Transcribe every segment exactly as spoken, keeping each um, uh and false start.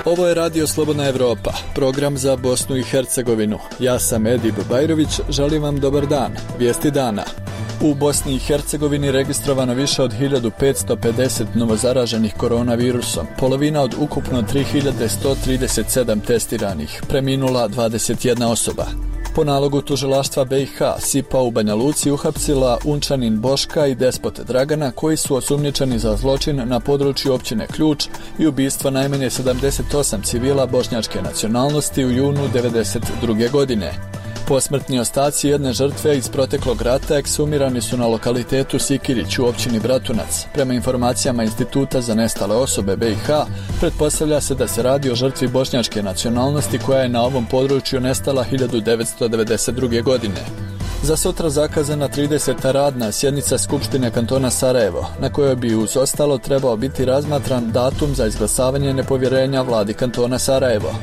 Ovo je Radio Slobodna Evropa, program za Bosnu i Hercegovinu. Ja sam Edip Bajrović, želim vam dobar dan. Vijesti dana. U Bosni i Hercegovini registrovano više od hiljadu petsto pedeset novozaraženih koronavirusom, polovina od ukupno tri hiljade sto trideset sedam testiranih, preminula dvadeset jedna osoba. Po nalogu tužilaštva B i H, S I P A u Banja Luci uhapsila Unčanin Boška i despot Dragana, koji su osumnjičeni za zločin na području općine Ključ i ubistvo najmanje sedamdeset osam civila bošnjačke nacionalnosti u junu devedeset druge. godine. Posmrtni ostaci jedne žrtve iz proteklog rata eksumirani su na lokalitetu Sikirić u općini Bratunac. Prema informacijama Instituta za nestale osobe B i H, pretpostavlja se da se radi o žrtvi bošnjačke nacionalnosti koja je na ovom području nestala hiljadu devetsto devedeset druge. godine. Za sutra zakazana trideseta radna sjednica Skupštine kantona Sarajevo, na kojoj bi uz ostalo trebao biti razmatran datum za izglasavanje nepovjerenja vladi kantona Sarajevo.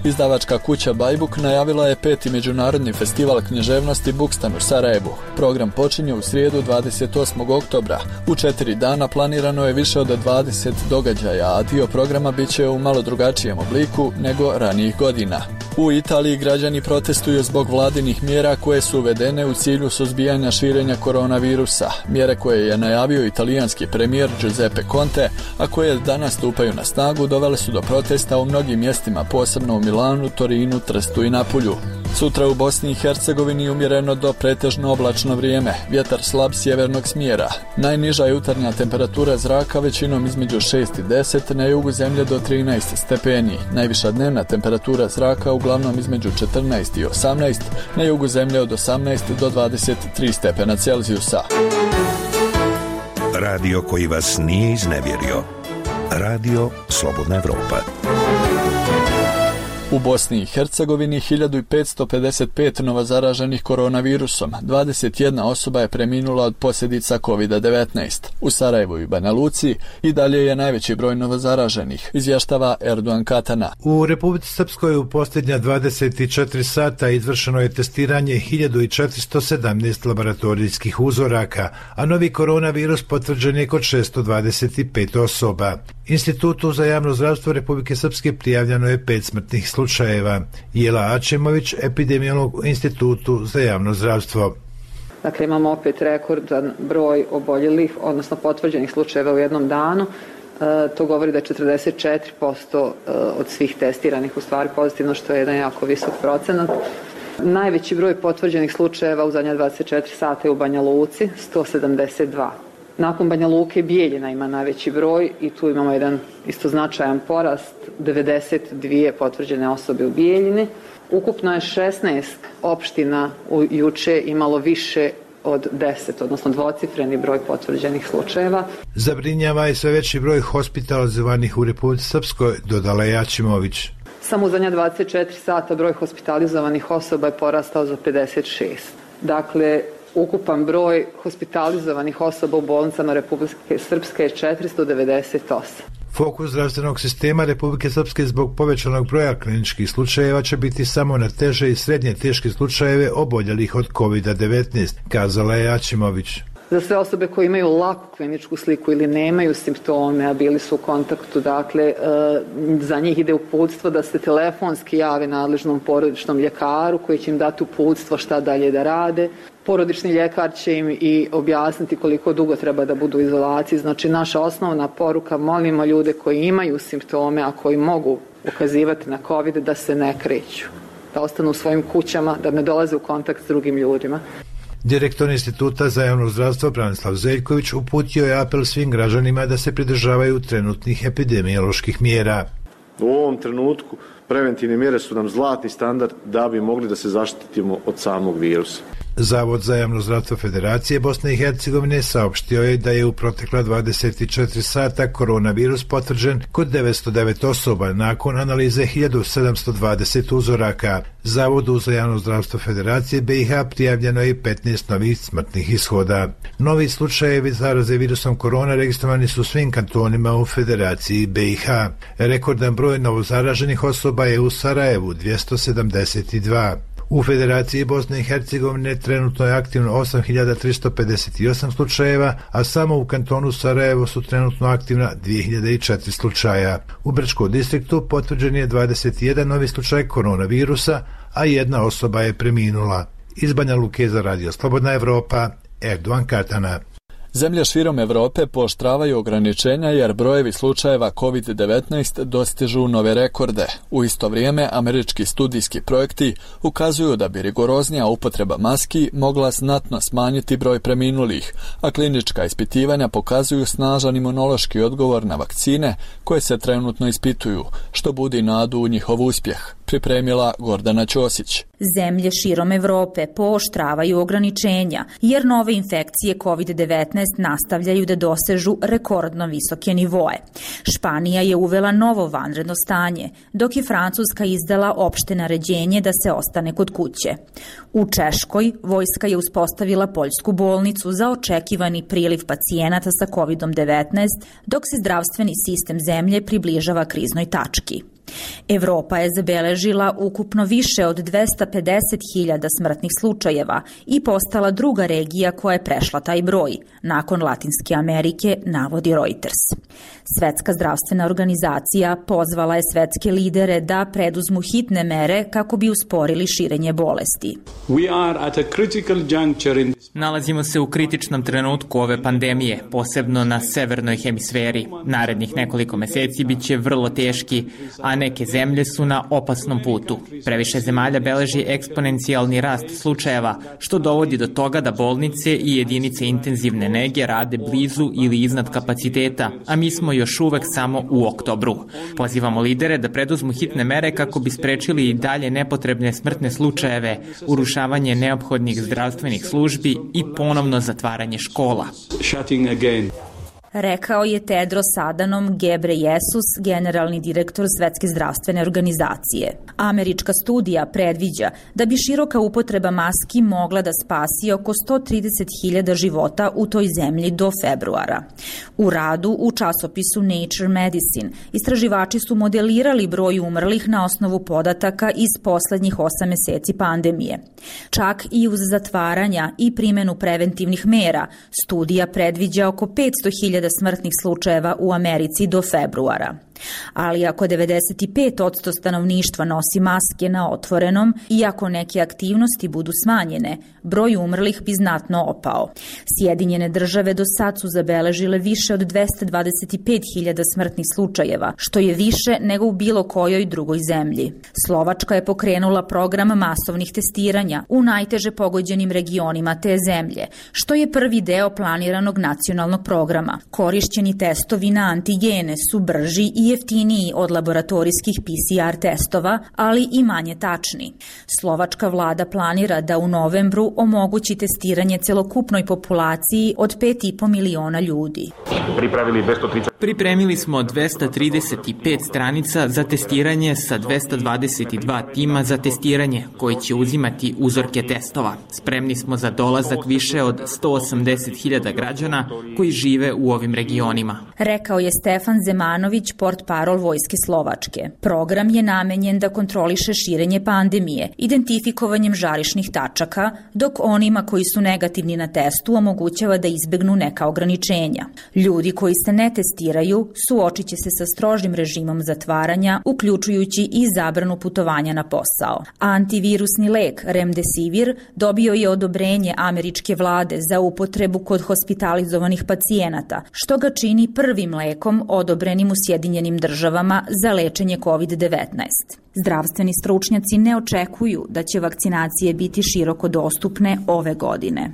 Izdavačka kuća Bajbuk najavila je peti međunarodni festival književnosti Bukstan u Sarajevu. Program počinje u srijedu dvadeset osmog oktobra. U četiri dana planirano je više od dvadeset događaja, a dio programa bit će u malo drugačijem obliku nego ranijih godina. U Italiji građani protestuju zbog vladinih mjera koje su uvedene u cilju suzbijanja širenja koronavirusa. Mjere koje je najavio italijanski premijer Giuseppe Conte, a koje danas stupaju na snagu, dovele su do protesta u mnogim mjestima, posebno u Milanu, Torinu, Trstu i Napulju. Sutra u Bosni i Hercegovini umjereno do pretežno oblačno vrijeme, vjetar slab sjevernog smjera. Najniža jutarnja temperatura zraka većinom između šest i deset, na jugu zemlje do trinaest stepeni. Najviša dnevna temperatura zraka uglavnom između četrnaest i osamnaest, na jugu zemlje od osamnaest do dvadeset tri stepena Celzijusa. Radio koji vas nije iznevjerio. Radio Slobodna Evropa. U Bosni i Hercegovini hiljadu petsto pedeset pet novozaraženih koronavirusom, dvadeset jedna osoba je preminula od posljedica kovid devetnaest. U Sarajevu i Banja Luci i dalje je najveći broj novozaraženih, izvještava Erdogan Katana. U Republici Srpskoj u posljednja dvadeset četiri sata izvršeno je testiranje hiljadu četiristo sedamnaest laboratorijskih uzoraka, a novi koronavirus potvrđen je kod šesto dvadeset pet osoba. Institutu za javno zdravstvo Republike Srpske prijavljeno je pet smrtnih slučajeva. Jela Ačemović, epidemiolog u Institutu za javno zdravstvo. Dakle, imamo opet rekordan broj oboljelih, odnosno potvrđenih slučajeva u jednom danu. E, to govori da je četrdeset četiri posto od svih testiranih u stvari pozitivno, što je jedan jako visok procenat. Najveći broj potvrđenih slučajeva u zadnja dvadeset četiri sata je u Banja Luci, sto sedamdeset dva. Nakon Banja Luke Bijeljina ima najveći broj i tu imamo jedan isto značajan porast, devedeset dvije potvrđene osobe u Bijeljini. Ukupno je šesnaest opština u juče imalo više od deset, odnosno dvocifreni broj potvrđenih slučajeva. Zabrinjava i sve veći broj hospitalizovanih u Republici Srpskoj, dodala je Ačimović. Samo u zadnja dvadeset četiri sata broj hospitalizovanih osoba je porastao za pedeset šest. Dakle, ukupan broj hospitalizovanih osoba u bolnicama Republike Srpske je četiristo devedeset osam. Fokus zdravstvenog sistema Republike Srpske zbog povećanog broja kliničkih slučajeva će biti samo na teže i srednje teške slučajeve oboljelih od kovid devetnaest, kazala je Ačimović. Za sve osobe koje imaju laku kliničku sliku ili nemaju simptome, a bili su u kontaktu, dakle, za njih ide uputstvo da se telefonski jave nadležnom porodičnom ljekaru koji će im dati uputstvo šta dalje da rade. Porodični ljekar će im i objasniti koliko dugo treba da budu u izolaciji. Znači, naša osnovna poruka, molimo ljude koji imaju simptome, a koji mogu ukazivati na COVID, da se ne kreću, da ostanu u svojim kućama, da ne dolaze u kontakt s drugim ljudima. Direktor Instituta za javno zdravstvo Branislav Zeljković uputio je apel svim građanima da se pridržavaju trenutnih epidemioloških mjera. U ovom trenutku preventivne mjere su nam zlatni standard da bi mogli da se zaštitimo od samog virusa. Zavod za javno zdravstvo Federacije Bosne i Hercegovine saopštio je da je u protekla dvadeset četiri sata koronavirus potvrđen kod devetsto devet osoba nakon analize hiljadu sedamsto dvadeset uzoraka. Zavodu za javno zdravstvo Federacije B i H prijavljeno je petnaest novih smrtnih ishoda. Novi slučajevi zaraze virusom korona registrovani su svim kantonima u Federaciji B i H. Rekordan broj novozaraženih osoba je u Sarajevu dvjesto sedamdeset dva. U Federaciji Bosne i Hercegovine trenutno je aktivno osam hiljada tristo pedeset osam slučajeva, a samo u kantonu Sarajevo su trenutno aktivna dvije hiljade četiri slučaja. U Brčkom distriktu potvrđen je dvadeset jedan novi slučaj koronavirusa, a jedna osoba je preminula. Iz Banja Luke za Radio Slobodna Evropa, Erdovan Katana. Zemlje širom Evrope pooštravaju ograničenja jer brojevi slučajeva kovid devetnaest dostižu nove rekorde. U isto vrijeme, američki studijski projekti ukazuju da bi rigoroznija upotreba maski mogla znatno smanjiti broj preminulih, a klinička ispitivanja pokazuju snažan imunološki odgovor na vakcine koje se trenutno ispituju, što budi nadu u njihov uspjeh. Pripremila Gordana Ćosić. Zemlje širom Evrope pooštravaju ograničenja jer nove infekcije kovid devetnaest nastavljaju da dosežu rekordno visoke nivoe. Španija je uvela novo vanredno stanje, dok je Francuska izdala opšte naređenje da se ostane kod kuće. U Češkoj vojska je uspostavila poljsku bolnicu za očekivani priliv pacijenata sa kovid devetnaest, dok se zdravstveni sistem zemlje približava kriznoj tački. Evropa je zabeležila ukupno više od dvesta pedeset hiljada smrtnih slučajeva i postala druga regija koja je prešla taj broj, nakon Latinske Amerike, navodi Reuters. Svetska zdravstvena organizacija pozvala je svetske lidere da preduzmu hitne mere kako bi usporili širenje bolesti. Nalazimo se u kritičnom trenutku ove pandemije, posebno na severnoj hemisferi. Narednih nekoliko meseci bit će vrlo teški, a neke zemlje su na opasnom putu. Previše zemalja beleži eksponencijalni rast slučajeva, što dovodi do toga da bolnice i jedinice intenzivne nege rade blizu ili iznad kapaciteta, a mi smo još uvek samo u oktobru. Pozivamo lidere da preduzmu hitne mere kako bi sprečili i dalje nepotrebne smrtne slučajeve, urušavanje neophodnih zdravstvenih službi i ponovno zatvaranje škola. Rekao je Tedros Adhanom Ghebreyesus, generalni direktor Svetske zdravstvene organizacije. Američka studija predviđa da bi široka upotreba maski mogla da spasi oko sto trideset hiljada života u toj zemlji do februara. U radu u časopisu Nature Medicine istraživači su modelirali broj umrlih na osnovu podataka iz poslednjih osam meseci pandemije. Čak i uz zatvaranja i primenu preventivnih mera, studija predviđa oko petsto hiljada smrtnih slučajeva u Americi do februara. Ali ako devedeset pet posto stanovništva nosi maske na otvorenom i ako neke aktivnosti budu smanjene, broj umrlih bi znatno opao. Sjedinjene države do sad su zabeležile više od dvesta dvadeset pet hiljada smrtnih slučajeva, što je više nego u bilo kojoj drugoj zemlji. Slovačka je pokrenula program masovnih testiranja u najteže pogođenim regionima te zemlje, što je prvi deo planiranog nacionalnog programa. Korišćeni testovi na antigene su brži i jeftiniji od laboratorijskih P C R testova, ali i manje tačni. Slovačka vlada planira da u novembru omogući testiranje celokupnoj populaciji od pet i po miliona ljudi. Pripremili smo dvesta trideset pet stranica za testiranje sa dvesta dvadeset dva tima za testiranje koji će uzimati uzorke testova. Spremni smo za dolazak više od sto osamdeset hiljada građana koji žive u ovim regionima. Rekao je Stefan Zemanović, portparol Vojske Slovačke. Program je namenjen da kontroliše širenje pandemije, identifikovanjem žarišnih tačaka, dok onima koji su negativni na testu omogućava da izbegnu neka ograničenja. Ljudi koji se ne testiraju suočit će se sa strožim režimom zatvaranja, uključujući i zabranu putovanja na posao. Antivirusni lek Remdesivir dobio je odobrenje američke vlade za upotrebu kod hospitalizovanih pacijenata, što ga čini prvim lekom odobrenim u Sjedinjenim državama za lečenje kovid devetnaest. Zdravstveni stručnjaci ne očekuju da će vakcinacije biti široko dostupne ove godine.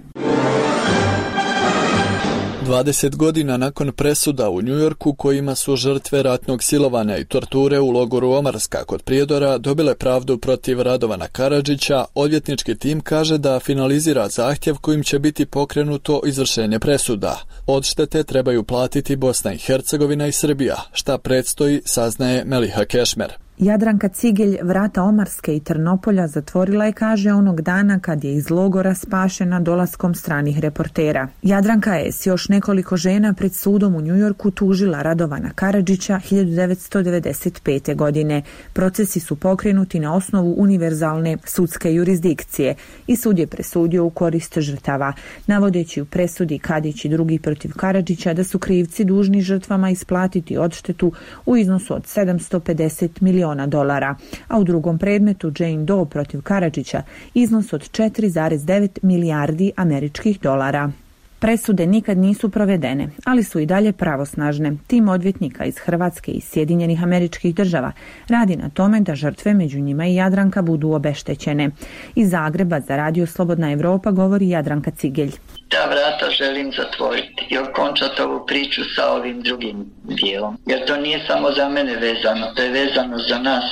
dvadeset godina nakon presuda u Njujorku kojima su žrtve ratnog silovanja i torture u logoru Omarska kod Prijedora dobile pravdu protiv Radovana Karadžića, odvjetnički tim kaže da finalizira zahtjev kojim će biti pokrenuto izvršenje presuda. Odštete trebaju platiti Bosna i Hercegovina i Srbija, šta predstoji saznaje Meliha Kešmer. Jadranka Cigelj vrata Omarske i Trnopolja zatvorila je, kaže, onog dana kad je iz logora spašena dolaskom stranih reportera. Jadranka je s još nekoliko žena pred sudom u Njujorku tužila Radovana Karadžića hiljadu devetsto devedeset pete. godine. Procesi su pokrenuti na osnovu univerzalne sudske jurisdikcije i sud je presudio u korist žrtava, navodeći u presudi Kadić i drugi protiv Karadžića da su krivci dužni žrtvama isplatiti odštetu u iznosu od sedamsto pedeset miliona dolara, a u drugom predmetu Jane Doe protiv Karadžića iznos od četiri zarez devet milijardi američkih dolara. Presude nikad nisu provedene, ali su i dalje pravosnažne. Tim odvjetnika iz Hrvatske i Sjedinjenih Američkih Država radi na tome da žrtve, među njima i Jadranka, budu obeštećene. Iz Zagreba za Radio Slobodna Evropa govori Jadranka Cigelj. Ta vrata želim zatvoriti i okončati ovu priču sa ovim drugim dijelom. Jer to nije samo za mene vezano, to je vezano za nas.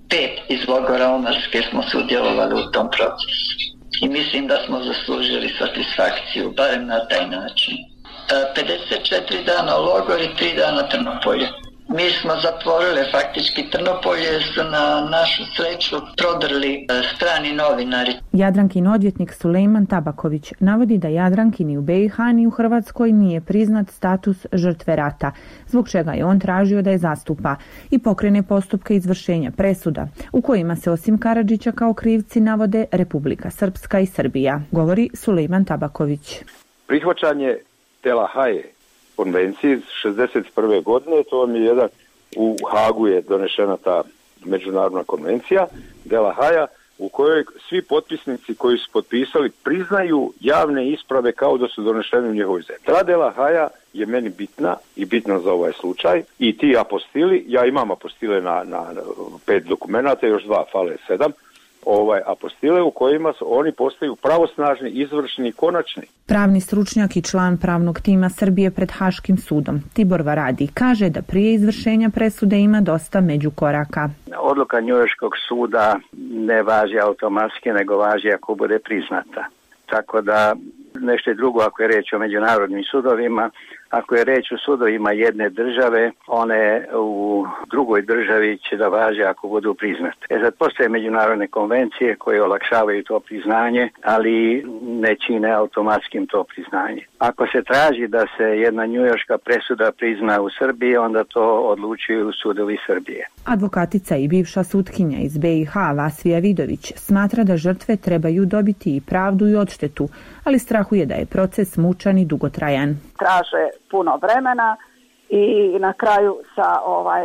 Pet iz logora Omarske smo sudjelovali u tom procesu. I mislim da smo zaslužili satisfakciju, barem na taj način. pedeset četiri dana logor i tri dana Trnopolje. Mi smo zatvorili faktički Trnopolje, su na našu sreću prodrli strani novinari. Jadrankin odvjetnik Sulejman Tabaković navodi da Jadranki ni u be i ha ni u Hrvatskoj nije priznat status žrtve rata, zbog čega je on tražio da je zastupa i pokrene postupke izvršenja presuda, u kojima se osim Karadžića kao krivci navode Republika Srpska i Srbija, govori Sulejman Tabaković. Prihvaćanje Tela Haje konvenciji iz šezdeset prve. godine, to vam je jedan, u Hagu je donešena ta međunarodna konvencija Dela Haja, u kojoj svi potpisnici koji su potpisali priznaju javne isprave kao da su donešene u njihovoj zemlji. Ta Dela Haja je meni bitna i bitna za ovaj slučaj i ti apostili, ja imam apostile na, na pet dokumenata, još dva fale sedam, ovaj apostile u kojima su, oni postaju pravosnažni, izvršni i konačni. Pravni stručnjak i član pravnog tima Srbije pred Haškim sudom Tibor Varadi kaže da prije izvršenja presude ima dosta međukoraka. Odluka Njujorškog suda ne važi automatski, nego važi ako bude priznata. Tako da nešto je drugo ako je reč o međunarodnim sudovima. Ako je reč o sudovima jedne države, one u drugoj državi će da važe ako budu priznate. E sad postoje međunarodne konvencije koje olakšavaju to priznanje, ali ne čine automatskim to priznanje. Ako se traži da se jedna njujorška presuda prizna u Srbiji, onda to odlučuju sudovi Srbije. Advokatica i bivša sutkinja iz be i ha Vasvija Vidović smatra da žrtve trebaju dobiti i pravdu i odštetu, ali strahuje da je proces mučan i dugotrajan. Traže puno vremena i na kraju sa ovaj,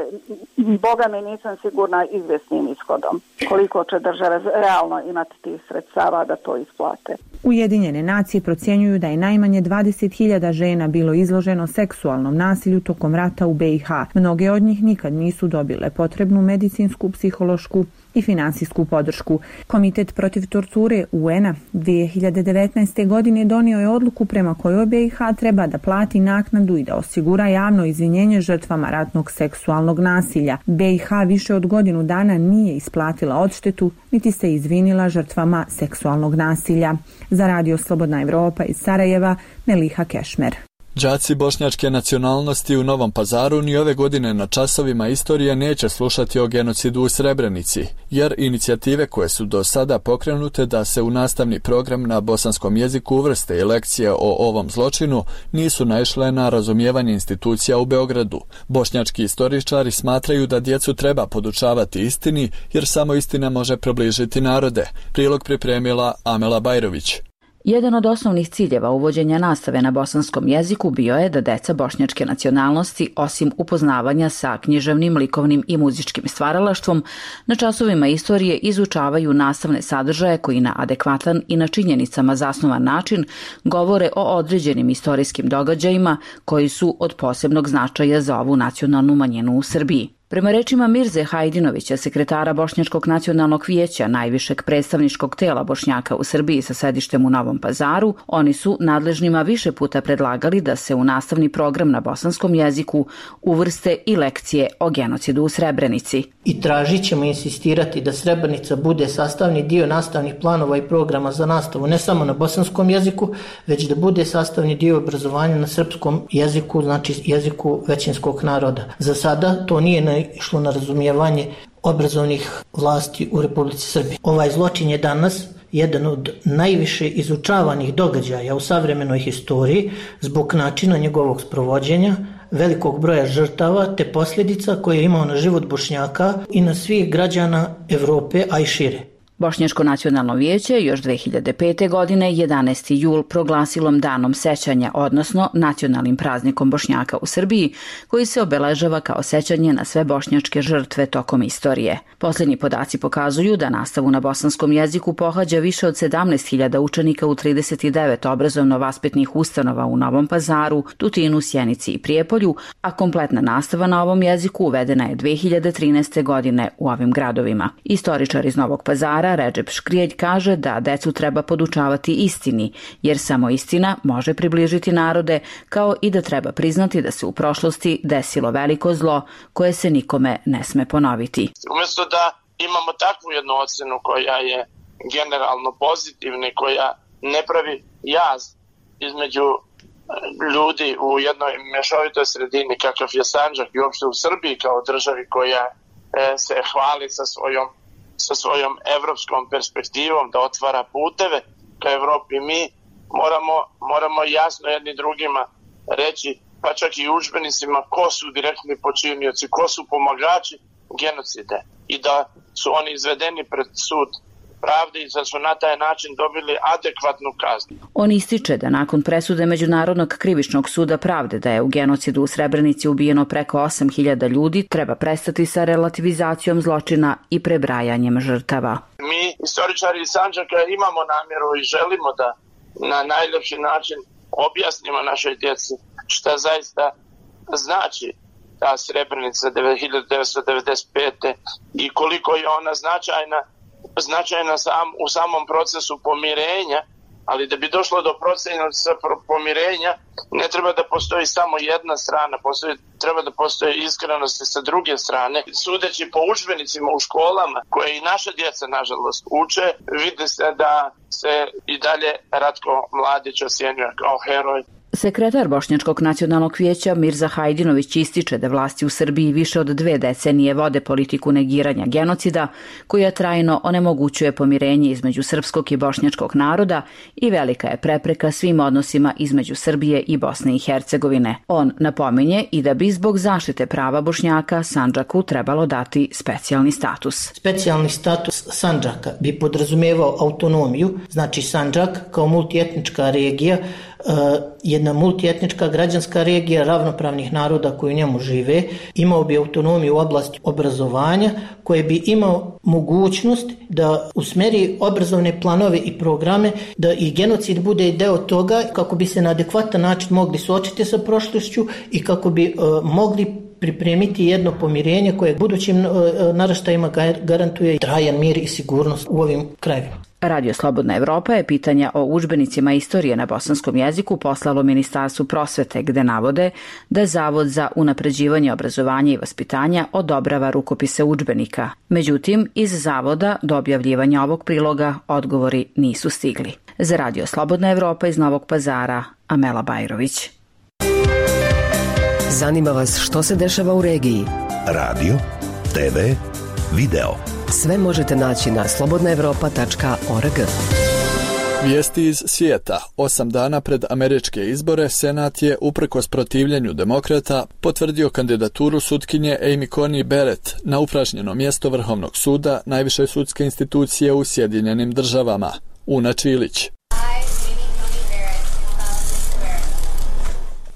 boga mi nisam sigurna izvjesnim ishodom. Koliko će države realno imati tih sredstava da to isplate. Ujedinjene nacije procjenjuju da je najmanje dvadeset hiljada žena bilo izloženo seksualnom nasilju tokom rata u be i ha. Mnoge od njih nikad nisu dobile potrebnu medicinsku, psihološku i finansijsku podršku. Komitet protiv torture u en a dvije hiljade devetnaeste. godine donio je odluku prema kojoj be i ha treba da plati naknadu i da osigura javno izvinjenje žrtvama ratnog seksualnog nasilja. be i ha više od godinu dana nije isplatila odštetu, niti se izvinila žrtvama seksualnog nasilja. Za Radio Slobodna Evropa iz Sarajeva, Meliha Kešmer. Đaci bošnjačke nacionalnosti u Novom Pazaru ni ove godine na časovima istorije neće slušati o genocidu u Srebrenici, jer inicijative koje su do sada pokrenute da se u nastavni program na bosanskom jeziku uvrste i lekcije o ovom zločinu nisu naišle na razumijevanje institucija u Beogradu. Bošnjački istoričari smatraju da djecu treba podučavati istini, jer samo istina može približiti narode. Prilog pripremila Amela Bajrović. Jedan od osnovnih ciljeva uvođenja nastave na bosanskom jeziku bio je da deca bošnjačke nacionalnosti, osim upoznavanja sa književnim, likovnim i muzičkim stvaralaštvom, na časovima istorije izučavaju nastavne sadržaje koji na adekvatan i na činjenicama zasnovan način govore o određenim istorijskim događajima koji su od posebnog značaja za ovu nacionalnu manjinu u Srbiji. Prema rečima Mirze Hajdinovića, sekretara Bošnjačkog nacionalnog vijeća, najvišeg predstavničkog tela Bošnjaka u Srbiji sa sedištem u Novom Pazaru, oni su nadležnima više puta predlagali da se u nastavni program na bosanskom jeziku uvrste i lekcije o genocidu u Srebrenici. I tražit ćemo insistirati da Srebrenica bude sastavni dio nastavnih planova i programa za nastavu ne samo na bosanskom jeziku, već da bude sastavni dio obrazovanja na srpskom jeziku, znači jeziku većinskog naroda. Za sada to nije išlo na razumijevanje obrazovnih vlasti u Republici Srbiji. Ovaj zločin je danas jedan od najviše izučavanih događaja u savremenoj historiji zbog načina njegovog sprovođenja, velikog broja žrtava te posljedica koje je imao na život Bošnjaka i na svih građana Evrope, a i šire. Bošnjačko nacionalno vijeće još dve hiljade pete. godine jedanaesti jul proglasilo danom sećanja, odnosno nacionalnim praznikom Bošnjaka u Srbiji, koji se obeležava kao sećanje na sve bošnjačke žrtve tokom istorije. Posljednji podaci pokazuju da nastavu na bosanskom jeziku pohađa više od sedamnaest hiljada učenika u trideset devet obrazovno-vaspitnih ustanova u Novom Pazaru, Tutinu, Sjenici i Prijepolju, a kompletna nastava na ovom jeziku uvedena je dve hiljade trinaeste. godine u ovim gradovima. Istoričar iz Novog Pazara Redžep Škrijelj kaže da decu treba podučavati istini, jer samo istina može približiti narode, kao i da treba priznati da se u prošlosti desilo veliko zlo koje se nikome ne sme ponoviti. Umjesto da imamo takvu jednu ocenu koja je generalno pozitivna i koja ne pravi jaz između ljudi u jednoj mješovitoj sredini kakav je Sandžak i uopšte u Srbiji kao državi koja se hvali sa svojom sa svojom evropskom perspektivom da otvara puteve ka Evropi, mi moramo, moramo jasno jedni drugima reći, pa čak i udžbenicima, ko su direktni počinioci, ko su pomagači genocide i da su oni izvedeni pred sud pravde i da su na taj način dobili adekvatnu kaznu. On ističe da nakon presude Međunarodnog krivičnog suda pravde da je u genocidu u Srebrenici ubijeno preko osam hiljada ljudi, treba prestati sa relativizacijom zločina i prebrajanjem žrtava. Mi, istoričari iz Sandžaka, imamo namjeru i želimo da na najljepši način objasnimo našoj djeci šta zaista znači ta Srebrenica hiljadu devetsto devedeset pete. i koliko je ona značajna značajna sam, u samom procesu pomirenja, ali da bi došlo do procesa pomirenja ne treba da postoji samo jedna strana, postoji, treba da postoji iskrenost sa druge strane. Sudeći po udžbenicima u školama, koje i naša djeca nažalost uče, vidi se da se i dalje Ratko Mladić osjenjuje kao heroj. Sekretar Bošnjačkog nacionalnog vijeća Mirza Hajdinović ističe da vlasti u Srbiji više od dve decenije vode politiku negiranja genocida, koja trajno onemogućuje pomirenje između srpskog i bošnjačkog naroda i velika je prepreka svim odnosima između Srbije i Bosne i Hercegovine. On napominje i da bi zbog zaštite prava Bošnjaka Sandžaku trebalo dati specijalni status. Specijalni status Sandžaka bi podrazumevao autonomiju, znači Sandžak kao multietnička regija, jedna multietnička građanska regija ravnopravnih naroda koji u njemu žive, imao bi autonomiju u oblasti obrazovanja, koje bi imao mogućnost da usmeri obrazovne planove i programe, da i genocid bude deo toga kako bi se na adekvatan način mogli suočiti sa prošlošću i kako bi uh, mogli pripremiti jedno pomirenje koje budućim uh, naraštajima garantuje trajan mir i sigurnost u ovim krajevima. Radio Slobodna Evropa je pitanja o udžbenicima istorije na bosanskom jeziku poslalo Ministarstvu prosvete, gde navode da Zavod za unapređivanje obrazovanja i vaspitanja odobrava rukopise udžbenika. Međutim, iz Zavoda do objavljivanja ovog priloga odgovori nisu stigli. Za Radio Slobodna Evropa iz Novog Pazara, Amela Bajrović. Zanima vas što se dešava u regiji? Radio, te ve, video. Sve možete naći na slobodna evropa tačka org. Vijesti iz svijeta. Osam dana pred američke izbore Senat je, uprkos protivljenju demokrata, potvrdio kandidaturu sutkinje Amy Coney Barrett na upražnjeno mjesto Vrhovnog suda, najviše sudske institucije u Sjedinjenim državama. Una Čilić.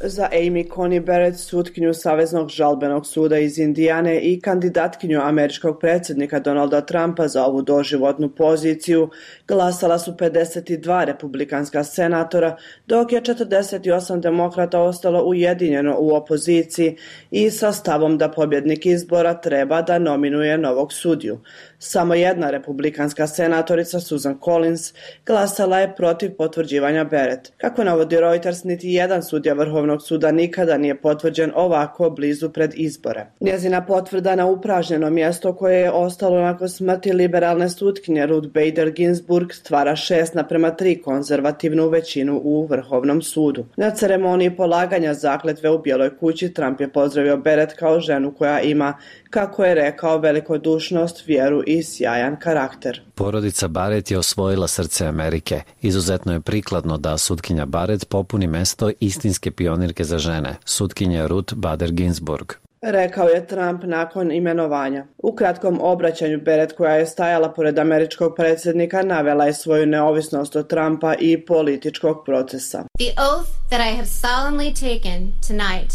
Za Amy Coney Barrett, sutkinju Saveznog žalbenog suda iz Indijane i kandidatkinju američkog predsjednika Donalda Trumpa za ovu doživotnu poziciju, glasala su pedeset dva republikanska senatora, dok je četrdeset osam demokrata ostalo ujedinjeno u opoziciji i sa stavom da pobjednik izbora treba da nominuje novog sudiju. Samo jedna republikanska senatorica Susan Collins glasala je protiv potvrđivanja Barrett. Kako navodi Reuters, niti jedan sudija Vrhovnog suda nikada nije potvrđen ovako blizu pred izbore. Njezina potvrda na upražnjeno mjesto koje je ostalo nakon smrti liberalne sutkinje Ruth Bader Ginsburg stvara šest naprema tri konzervativnu većinu u Vrhovnom sudu. Na ceremoniji polaganja zakletve u Bijeloj kući Trump je pozdravio Barrett kao ženu koja ima, kako je rekao, velikodušnost, vjeru i sjajan karakter. Porodica Barrett je osvojila srce Amerike. Izuzetno je prikladno da sutkinja Barrett popuni mesto istinske pionirke za žene, sutkinja Ruth Bader Ginsburg. Rekao je Trump nakon imenovanja. U kratkom obraćanju Barrett, koja je stajala pored američkog predsjednika, navela je svoju neovisnost od Trumpa i političkog procesa. The oath that I have solemnly taken tonight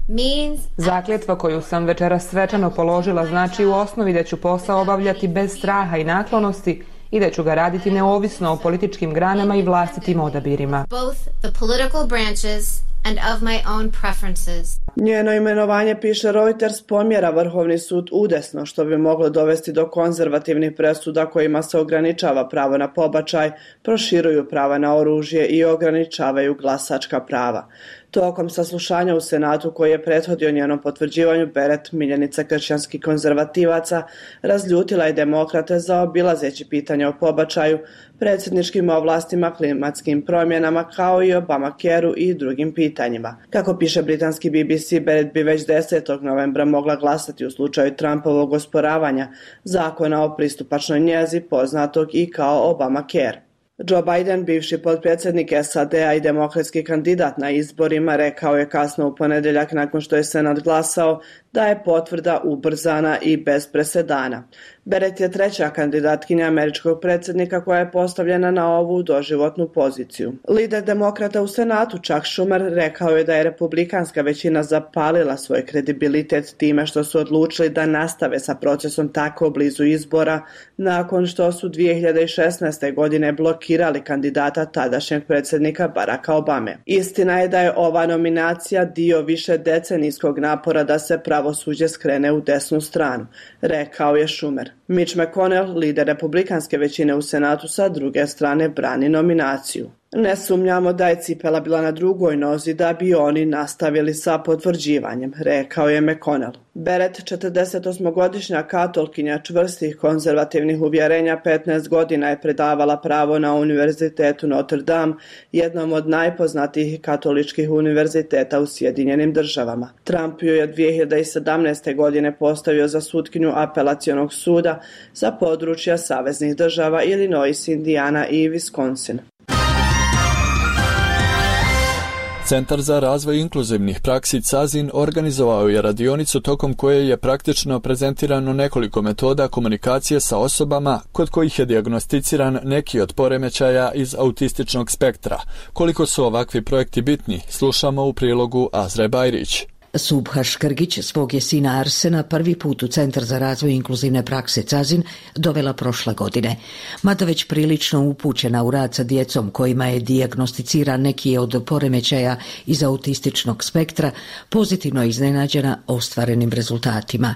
means... Zakletva koju sam večeras svečano položila znači u osnovi da ću posao obavljati bez straha i naklonosti i da ću ga raditi neovisno o političkim granama i vlastitim odabirima. Both the political branches and of my own preferences. Njeno imenovanje, piše Reuters, pomjera Vrhovni sud udesno, što bi moglo dovesti do konzervativnih presuda kojima se ograničava pravo na pobačaj, proširuju prava na oružje i ograničavaju glasačka prava. Tokom saslušanja u Senatu koji je prethodio njenom potvrđivanju, Barrett, miljenica kršćanskih konzervativaca, razljutila je demokrate zaobilazeći pitanja o pobačaju, predsjedničkim ovlastima, klimatskim promjenama, kao i Obamacare-u i drugim pitanjima. Kako piše britanski B B C, Barrett bi već desetog novembra mogla glasati u slučaju Trumpovog osporavanja zakona o pristupačnoj njezi, poznatog i kao Obamacare. Joe Biden, bivši potpredsjednik S A D-a i demokratski kandidat na izborima, rekao je kasno u ponedjeljak nakon što je Senat glasao da je potvrda ubrzana i bez presedana. Barrett je treća kandidatkinja američkog predsjednika koja je postavljena na ovu doživotnu poziciju. Lider demokrata u Senatu Chuck Schumer rekao je da je republikanska većina zapalila svoj kredibilitet time što su odlučili da nastave sa procesom tako blizu izbora nakon što su dvije hiljade šesnaeste. godine blokirali kandidata tadašnjeg predsjednika Baracka Obame. Istina je da je ova nominacija dio više decenijskog napora da se pravosuđe skrene u desnu stranu, rekao je Schumer. Mitch McConnell, lider republikanske većine u Senatu, sa druge strane brani nominaciju. Ne sumnjamo da je cipela bila na drugoj nozi da bi oni nastavili sa potvrđivanjem, rekao je McConnell. Barrett, četrdesetosmogodišnja katolkinja čvrstih konzervativnih uvjerenja, petnaest godina je predavala pravo na Univerzitetu Notre Dame, jednom od najpoznatijih katoličkih univerziteta u Sjedinjenim državama. Trump ju je dvije hiljade sedamnaeste. godine postavio za sutkinju apelacionog suda za područja saveznih država Illinois, Indiana i Wisconsin. Centar za razvoj inkluzivnih praksi C A Z I N organizovao je radionicu tokom koje je praktično prezentirano nekoliko metoda komunikacije sa osobama kod kojih je dijagnosticiran neki od poremećaja iz autističnog spektra. Koliko su ovakvi projekti bitni, slušamo u prilogu Azre Bajrić. Subha Škrgić svog je sina Arsena prvi put u Centar za razvoj inkluzivne prakse C A Z I N dovela prošle godine. Mada već prilično upućena u rad sa djecom kojima je dijagnosticiran neki od poremećaja iz autističnog spektra, pozitivno je iznenađena ostvarenim rezultatima.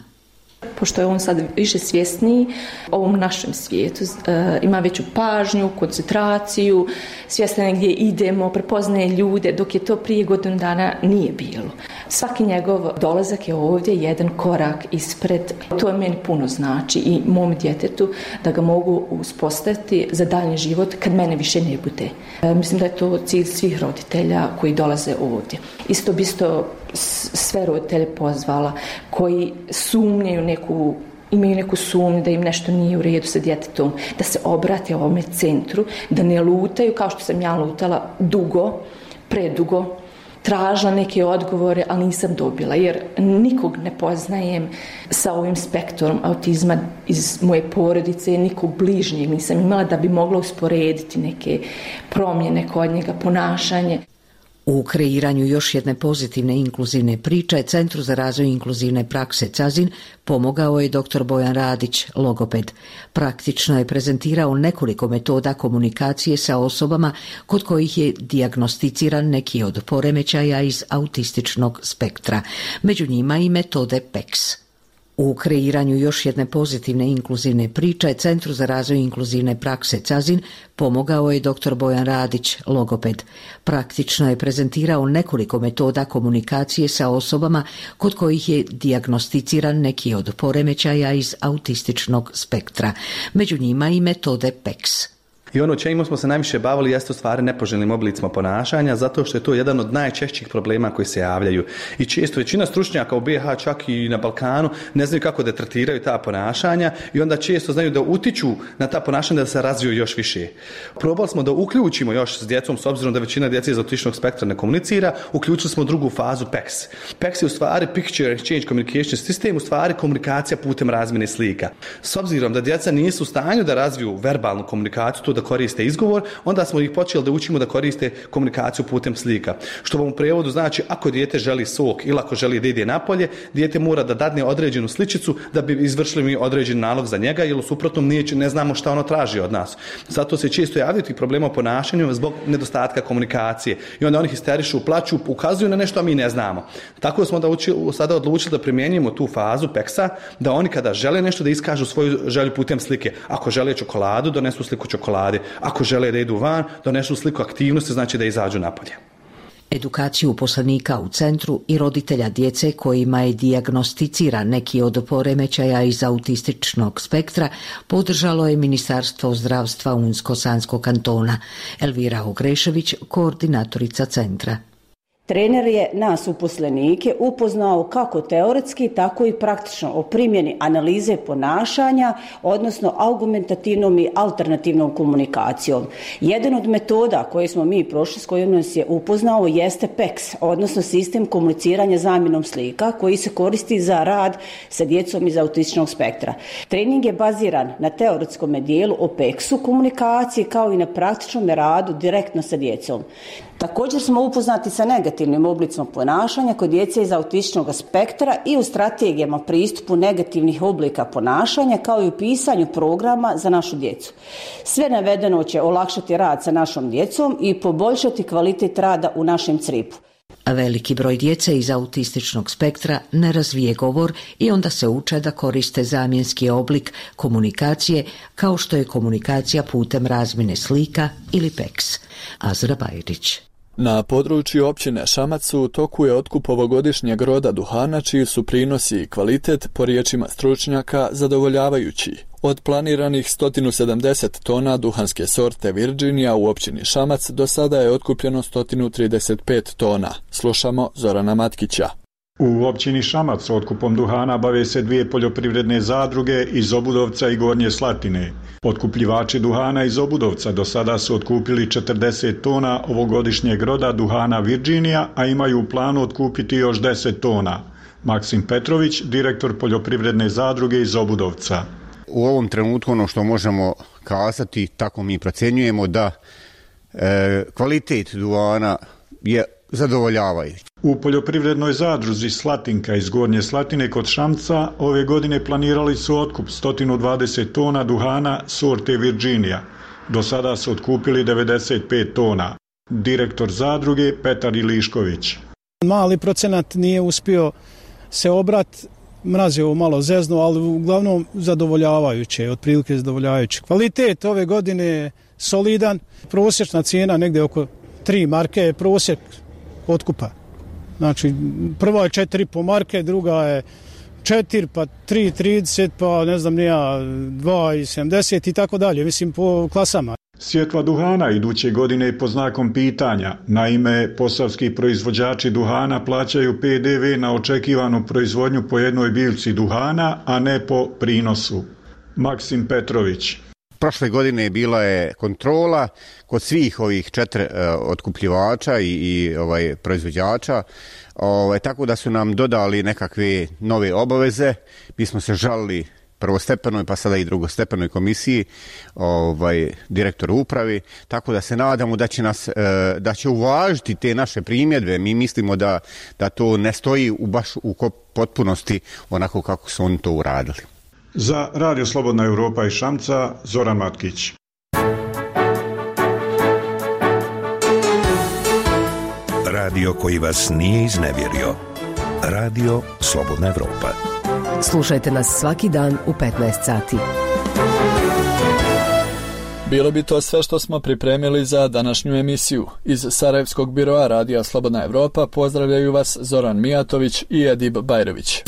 Pošto je on sad više svjesniji ovom našem svijetu, e, ima veću pažnju, koncentraciju, svjestan je gdje idemo, prepoznaje ljude, dok je to prije godinu dana nije bilo. Svaki njegov dolazak je ovdje jedan korak ispred. To je meni puno znači i mom djetetu da ga mogu uspostaviti za daljnji život kad mene više ne bude. E, mislim da je to cilj svih roditelja koji dolaze ovdje. Isto bi isto sve roditelje pozvala koji sumnjaju neku, imaju neku sumnju da im nešto nije u redu sa djetetom, da se obrate ovome centru, da ne lutaju kao što sam ja lutala dugo, predugo, tražila neke odgovore, ali nisam dobila, jer nikog ne poznajem sa ovim spektrom autizma iz moje porodice, nikog bližnjeg nisam imala da bi mogla usporediti neke promjene kod njega, ponašanje. U kreiranju još jedne pozitivne inkluzivne priče Centru za razvoj inkluzivne prakse C A Z I N pomogao je doktor Bojan Radić, logoped. Praktično je prezentirao nekoliko metoda komunikacije sa osobama kod kojih je dijagnosticiran neki od poremećaja iz autističnog spektra, među njima i metode P E X. U kreiranju još jedne pozitivne inkluzivne priče Centru za razvoj inkluzivne prakse Cazin pomogao je doktor Bojan Radić, logoped. Praktično je prezentirao nekoliko metoda komunikacije sa osobama kod kojih je dijagnosticiran neki od poremećaja iz autističnog spektra. Među njima i metode P E X. I ono čemu smo se najviše bavili jeste u stvari nepoželjnim oblicima ponašanja, zato što je to jedan od najčešćih problema koji se javljaju. I često većina stručnjaka u B iH, čak i na Balkanu, ne znaju kako da tretiraju ta ponašanja i onda često znaju da utiču na ta ponašanja da se razviju još više. Probali smo da uključimo još s djecom, s obzirom da većina djece iz autističnog spektra ne komunicira, uključili smo drugu fazu P E X. P E X je u stvari Picture Exchange Communication System, u stvari komunikacija putem razmjene slika. S obzirom da djeca nisu u stanju da razviju verbalnu komunikaciju, to da koriste izgovor, onda smo ih počeli da učimo da koriste komunikaciju putem slika. Što vam u prijevodu znači, ako dijete želi sok ili ako želi da ide napolje, dijete mora da dadne određenu sličicu da bi izvršili mi određen nalog za njega, jer u suprotnom nije, ne znamo šta ono traži od nas. Zato se često javljaju tih problema u ponašanju zbog nedostatka komunikacije. I onda oni histerišu, plaću, ukazuju na nešto, a mi ne znamo. Tako smo da uči, sada odlučili da primjenjujemo tu fazu P E X-a, da oni kada žele nešto da iskažu svoju želju putem slike. Ako žele čokoladu, donesu sliku čokolade. Ako žele da idu van, donesu sliku aktivnosti, znači da izađu napolje. Edukaciju uposlenika u centru i roditelja djece kojima je dijagnosticiran neki od poremećaja iz autističnog spektra podržalo je Ministarstvo zdravstva Unsko-Sanskog kantona. Elvira Ogrešević, koordinatorica centra. Trener je nas uposlenike upoznao kako teoretski, tako i praktično o primjeni analize ponašanja, odnosno argumentativnom i alternativnom komunikacijom. Jedan od metoda koje smo mi prošli, s kojom nas je upoznao, jeste P E X, odnosno sistem komuniciranja zamjenom slika, koji se koristi za rad sa djecom iz autističnog spektra. Trening je baziran na teoretskom dijelu o P E X-u komunikacije, kao i na praktičnom radu direktno sa djecom. Također smo upoznati sa negativnim oblicima ponašanja kod djece iz autističnog spektra i u strategijama pristupu negativnih oblika ponašanja, kao i u pisanju programa za našu djecu. Sve navedeno će olakšati rad sa našom djecom i poboljšati kvalitet rada u našem cripu. A veliki broj djece iz autističnog spektra ne razvije govor i onda se uče da koriste zamjenski oblik komunikacije, kao što je komunikacija putem razmjene slika ili P E X. Azra Bajrić. Na području općine Šamac u toku je otkup ovogodišnjeg roda duhana, čiji su prinosi i kvalitet, po riječima stručnjaka, zadovoljavajući. Od planiranih sto sedamdeset tona duhanske sorte Virginia u općini Šamac do sada je otkupljeno sto trideset pet tona. Slušamo Zorana Matkića. U općini Šamac otkupom duhana bave se dvije poljoprivredne zadruge iz Obudovca i Gornje Slatine. Otkupljivači duhana iz Obudovca do sada su otkupili četrdeset tona ovogodišnjeg roda duhana Virginia, a imaju u planu otkupiti još deset tona. Maksim Petrović, direktor poljoprivredne zadruge iz Obudovca. U ovom trenutku ono što možemo kazati, tako mi procenjujemo da e, kvalitet duhana je zadovoljavajući. U poljoprivrednoj zadruzi Slatinka iz Gornje Slatine kod Šamca ove godine planirali su otkup sto dvadeset tona duhana sorte Virginia. Do sada su otkupili devedeset pet tona. Direktor zadruge Petar Ilišković. Mali procenat nije uspio se obrat, mraz je ovo malo zezno, ali uglavnom zadovoljavajuće, otprilike zadovoljavajuće. Kvalitet ove godine je solidan, prosječna cijena negdje oko tri marke je prosjek otkupa. Znači, prva je četiri i po marke, druga je četiri, pa tri trideset, pa ne znam nija, dva sedamdeset i tako dalje, mislim po klasama. Sjetva duhana iduće godine je pod znakom pitanja. Naime, posavski proizvođači duhana plaćaju P D V na očekivanu proizvodnju po jednoj biljci duhana, a ne po prinosu. Maksim Petrović. Prošle godine bila je kontrola kod svih ovih četiri uh, otkupljivača i, i ovaj, proizvođača, ovaj, tako da su nam dodali nekakve nove obaveze. Mi smo se žalili prvostepenoj pa sada i drugostepenoj komisiji, ovaj, direktoru upravi, tako da se nadamo da će nas, da će uvažiti te naše primjedbe. Mi mislimo da, da to ne stoji u baš u potpunosti onako kako su oni to uradili. Za Radio Slobodna Europa iz Šamca, Zoran Matkić. Radio koji vas nije iznevjerio. Radio Slobodna Europa. Slušajte nas svaki dan u petnaest sati. Bilo bi to sve što smo pripremili za današnju emisiju. Iz Sarajevskog biroa Radija Slobodna Evropa pozdravljaju vas Zoran Mijatović i Edib Bajrović.